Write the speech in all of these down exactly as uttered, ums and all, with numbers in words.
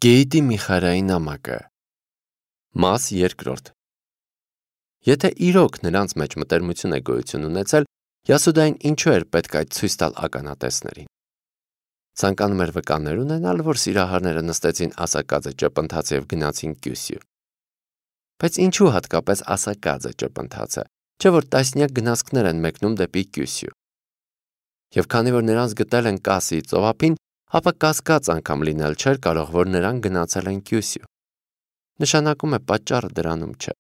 Գեյդի Միխարայի նամակը Մաս երկրորդ Եթե իրոք նրանց մեջ մտերմություն է գոյություն ունեցել, Յասուդային ինչու էր պետք այդ ցույց տալ ականատեսներին։ Ցանկանում էր վկաներ ունենալ, որ սիրահարները նստեցին ասակաձը ճպընթաց և գնացին Կյուսյու։ Բայց ինչու հատկապես ասակաձը ճպընթացը, չէ որ տասնյակ գնացքներ են մեկնում դեպի Կյուսյու։ Եվ քանի որ նրանց գտել են Կասիի ծովափին, ապա կասկած անգամ լինել չէր կարող, որ նրանք գնացել են Կյուսյու։ Նշանակում է պատճառը դրանում չէ։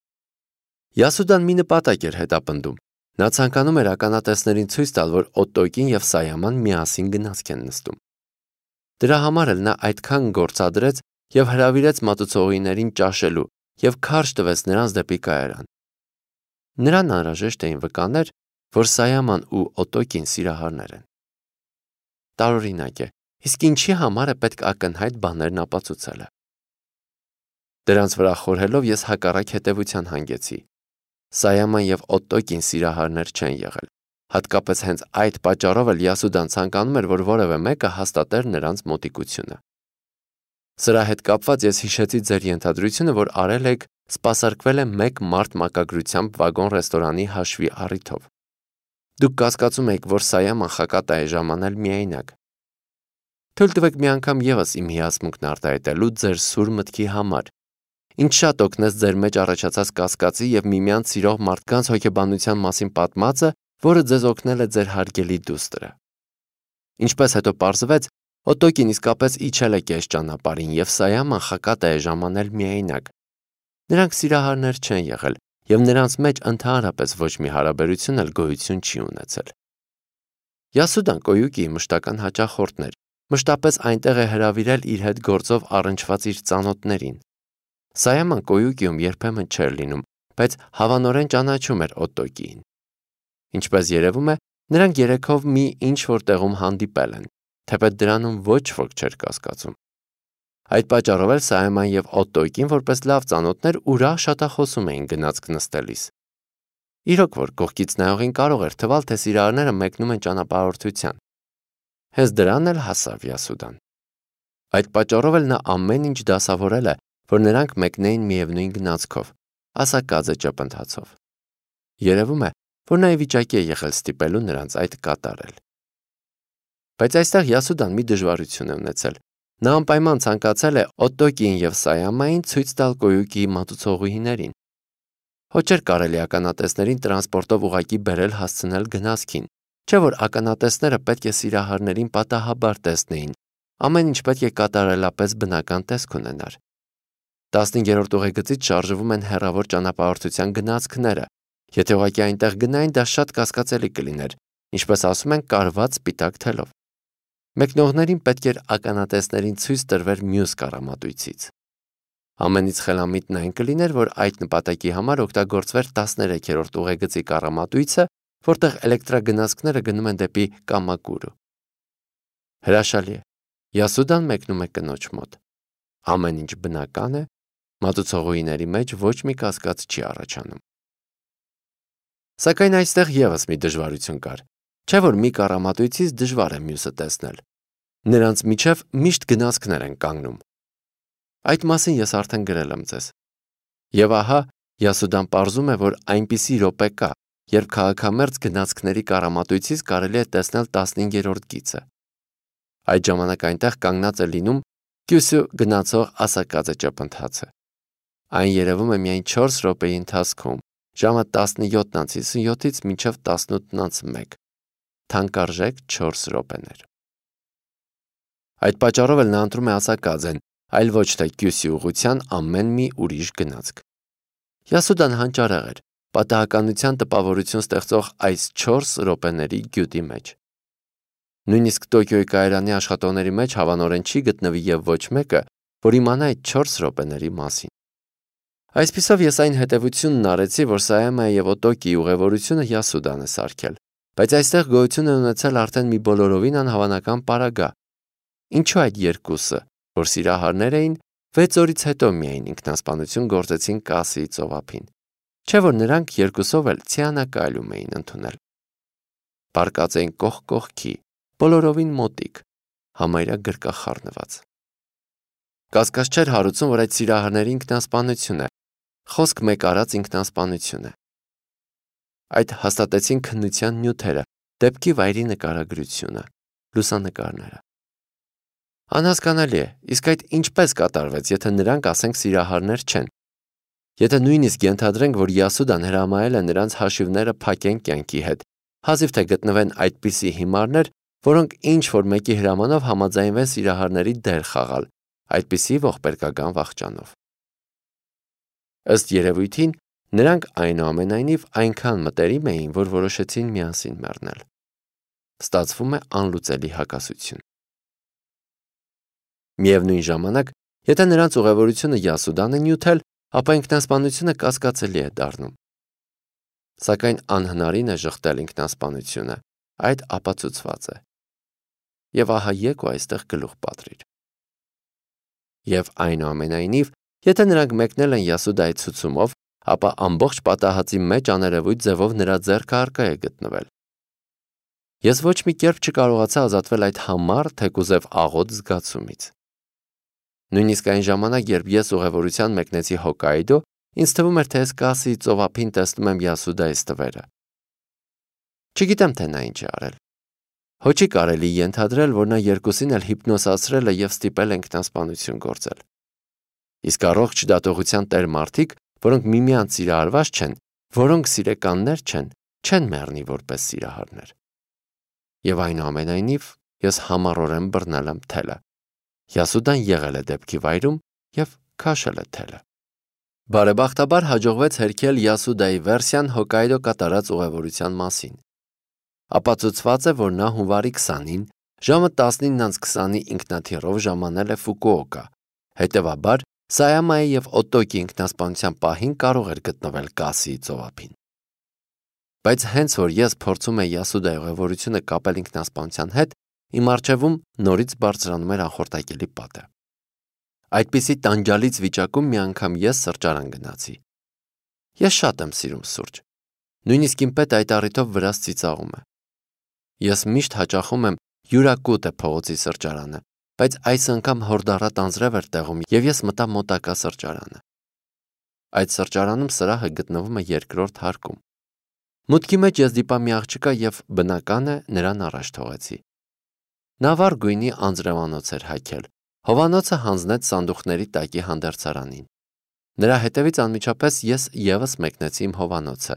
Յասուդան մի նպատակ էր հետապնդում։ Նա ցանկանում էր ականատեսներին ցույց տալ, որ Օտոկին և Սայաման միասին գնացք են նստում։ Դրա համար էլ նա այդքան գործադրեց և հրավիրեց մատուցողիներին ճաշելու և քարշ տվեց նրանց դեպի կայարան։ Նրան անհրաժեշտ էին վկաներ, որ Սայաման ու Օտոկին սիրահարներ են։ Տարօրինակ է, իսկ ինչի համար է պետք ակնհայտ բաներն ապացուցելը։ Դրանց վրա խորհելով ես հակառակ հետևության հանգեցի։ Սայաման և Օտոկին սիրահարներ չեն եղել։ Հատկապես հենց այդ պատճառով էլ Յասուդան ցանկանում էր, որ որևէ մեկը հաստատեր նրանց մոտիկությունը։ Սրա հետ կապված ես հիշեցի ձեր ենթադրությունը, որ արել եք սպասարկվել է մեկ մարդ մակագրությամբ վագոն-ռեստորանի հաշվի առիթով։ Դուք կասկածում եք, որ Սայաման խակատ է ժամանել միայնակ։ Թույլ տվեք մի անգամ ևս իմ հիացմունքն արտահայտելու ձեր սուր մտքի համար։ Ինչ շատ օգնեց ձեր մեջ առաջացած կասկածի և միմյանց սիրող մարդկանց հոգեբանության մասին պատմածը, որը ձեզ օգնել է ձեր հարգելի դուստրը։ Ինչպես հետո պարզվեց, Օտոկին իսկապես իջել է կես ճանապարհին և Սայաման խակատ է ժամանել միայնակ։ Նրանք սիրահարներ չեն եղել և նրանց մեջ ընդհանրապես ոչ մի հարաբերություն էլ գոյություն չի ունեցել։ Յասուդան Կոյուկիի մշտական հաճախորդն էր, մշտապես այնտեղ է հրավիրել իր հետ գործով առնչված իր ծանոթներին։ Սայաման Կոյուկիում երբեմն չէր լինում, բայց հավանորեն ճանաչում էր Օտոկիին։ Ինչպես երևում է, նրանք երեքով մի ինչ-որ տեղում հանդիպել են, թեպետ դրանում ոչ ոք չէր կասկածում։ Այդ պատճառով էլ Սայաման և Օտոկին որպես լավ ծանոթներ ուրախ շատախոսում էին գնացք նստելիս։ Իրոք որ կողքից նայողին կարող էր թվալ, թե սիրահարները մեկնում են ճանապարհորդության։ Հենց դրան էլ հասավ Յասուդան։ Այդ պատճառով էլ նա ամեն ինչ դասավորել է, որ նրանք մեկնեին միևնույն գնացքով, ասակաձը ճպընթացով։ Երևում է, որ նա ի վիճակի է եղել ստիպելու նրանց այդ կատարել։ Բայց այստեղ Յասուդան մի դժվարություն է ունեցել։ Նա անպայման ցանկացել է Օտոկիին և Սայամային ցույց տալ Կոյուկիի մատուցողուհիներին։ Հո չէր կարելի ականատեսներին տրանսպորտով ուղղակի բերել հասցնել գնացքին, չէ որ ականատեսները պետք է սիրահարներին պատահաբար տեսնեին, ամեն ինչ պետք է կատարելապես բնական տեսք ունենար։ Տասնհինգերորդ ուղեգծից շարժվում են հեռավոր ճանապարհորդության գնացքները։ Եթե ուղղակի այնտեղ գնային, դա շատ կասկածելի կլիներ, ինչպես ասում են, կարված սպիտակ թելով։ Մեկնողներին պետք էր ականատեսներին ցույց տրվեր մյուս կառամատույցից։ Ամենից խելամիտն այն կլիներ, որ այդ նպատակի համար օգտագործվեր տասներեքերորդ ուղեգծի կառամատույցը, որտեղ էլեկտրագնացքները գնում են դեպի Կամակուրու։ Հրաշալի է։ Յասուդան մեկնում է կնոջ մոտ։ Ամեն ինչ բնական է, մատուցողուհիների մեջ ոչ մի կասկած չի առաջանում։ Սակայն այստեղ ևս մի դժվարություն կար, չէ որ մի կառամատույցից դժվար է մյուսը տեսնել։ Նրանց միջև միշտ գնացքներ են կանգնում։ Այդ մասին ես արդեն գրել եմ ձեզ։ Եվ ահա Յասուդան պարզում է, որ այնպիսի րոպե կա, երբ քաղաքամերձ գնացքների կառամատույցից կարելի է տեսնել տասնհինգերորդ գիծը։ Այդ ժամանակ այնտեղ կանգնած է լինում Կյուսյու գնացող ասակաձը ճպընթացը։ Այն երևում է միայն չորս րոպեի ընթացքում, ժամը տասնյոթն անց հիսունյոթից մինչև տասնութն անց մեկ, թանկարժեք չորս րոպեներ։ Այդ պատճառով էլ նա ընտրում է ասակաձեն, այլ ոչ թե Կյուսյու ուղղության ամեն մի ուրիշ գնացք։ Յասուդան հանճարեղ էր, պատահականության տպավորություն ստեղծող այս չորս րոպեների գյուտի մեջ։ Նույնիսկ Տոկիոյի կայարանի աշխատողների մեջ հավանորեն չի գտնվի և ոչ մեկը, որ իմանա այդ չորս րոպեների մասին։ Այսպիսով ես այն հետևությունն արեցի, որ Սայամայի և Օտոկիի ուղևորությունը Յասուդան է սարքել, բայց այստեղ գոյություն է ունեցել արդեն մի բոլորովին անհավանական պարագա։ Ինչու այդ երկուսը, որ սիրահարներ էին, վեց օրից հետո միայն ինքնասպանություն գործեցին Կասիի ծովափին, չէ որ նրանք երկուսով էլ ցիանակայլում էին ընդունել։ Պառկած էին կողք կողքի, բոլորովին մոտիկ, համարյա գրկախառնված։ Կասկած չէր հարուցում, որ այդ սիրահարների ինքնասպանություն է, խոսք մեկ արած ինքնասպանություն է։ Այդ հաստատեցին քննության նյութերը, դեպքի վայրի նկարագրությունը, լուսանկարները։ Անհասկանալի է, իսկ այդ ինչպես կատարվեց, եթե նրանք, ասենք, սիրահարներ չեն։ Եթե նույնիսկ ենթադրենք, որ Յասուդան հրամայել է նրանց հաշիվները փակեն կյանքի հետ, հազիվ թե գտնվեն այդպիսի հիմարներ, որոնք ինչ-որ մեկի հրամանով համաձայնվեն սիրահարների դեր խաղալ, այդպիսի ողբերգական վախճանով։ Ըստ երևույթին, նրանք այնուամենայնիվ այնքան մտերիմ էին, որ որոշեցին միասին մեռնել։ Ստացվում է անլուծելի հակասություն։ Միևնույն ժամանակ, եթե նրանց ուղևորությունը Յասուդան է նյութել, ապա ինքնասպանությունը կասկածելի է դառնում։ Սակայն անհնարին է շղթել ինքնասպանությունը, այդ ապացուցված է։ Եվ ահա եկ ու այստեղ գլուխ պատրիր։ Եվ այնուամենայնիվ, եթե նրանք մեկնել են Յասուդայի ցուցումով, ապա ամբողջ պատահածի մեջ աներևույթ ձևով նրա ձեռքը առկա է գտնվել։ Ես ոչ մի կերպ չկարողացա ազատվել այդ համառ, թեկուզև աղոտ զգացումից։ Նույնիսկ այն ժամանակ, երբ ես ուղևորության մեկնեցի Հոկկայիդո, ինձ թվում էր, թե ես Կասիի ծովափին տեսնում եմ Յասուդայի ստվերը։ Չգիտեմ, թե նա ինչ է արել։ Հո չի կարելի ենթադրել, որ նա երկուսին էլ հիպնոսացրել է և ստիպել է ինքնասպանություն գործել։ Իսկ առողջ դատողության տեր մարդիկ, որոնք միմյանց սիրահարված չեն, որոնք սիրեկաններ չեն, չեն մեռնի որպես սիրահարներ։ Եվ այնուամենայնիվ ես համառորեն բռնել եմ թելը։ Յասուդան եղել է դեպքի վայրում և քաշել է թելը։ Բարեբախտաբար հաջողվեց հերքել Յասուդայի վերսիան Հոկկայիդո կատարած ուղևորության մասին։ Ապացուցված է, որ նա հունվարի քսանին ժամը տասնինն քսանի ինքնաթիռով ժամանել է Ֆուկուոկա, հետևաբար Սայամայի և Օտոկի ինքնասպանության պահին կարող էր գտնվել Կասիի ծովափին։ Բայց հենց որ ես փորձում էի Յասուդայի ուղևորությունը կապել ինքնասպանության հետ, իմ առջևում նորից բարձրանում էր անխորտակելի պատը։ Այդպիսի տանջալից վիճակում մի անգամ ես սրճարան գնացի։ Ես շատ եմ սիրում սուրճ։ Նույնիսկ իմ պետը այդ առիթով վրաս ծիծաղում է։ Ես միշտ հաճախում եմ Յուրակուտե փողոցի սրճարանը, բայց այս անգամ հորդառատ անձրև էր տեղում և ես մտա մոտակա սրճարանը։ Այդ սրճարանում սրահը գտնվում է երկրորդ հարկում։ Մուտքի մեջ ես դիպա մի աղջկա և բնական է նրան առաջ թողեցի։ Նա վառ գույնի անձրևանոց էր հագել, հովանոցը հանձնեց սանդուղքների տակի հանդերձարանին։ Նրա հետևից անմիջապես ես ևս մեկնեցի իմ հովանոցը։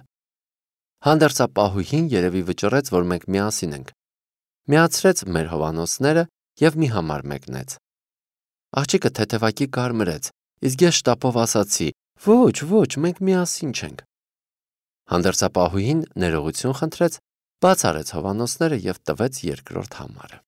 Հանդերձապահուհին երևի վճռեց, որ մենք միասին ենք։ Միացրեց մեր հովանոցները և մի համար մեկնեց։ Աղջիկը թեթևակի կարմրեց, իսկ ես շտապով ասացի. «Ոչ, ոչ, մենք միասին չենք»։ Հանդերձապահուհին ներողություն խնդրեց, բաց արեց հովանոցները և տվեց երկրորդ համարը։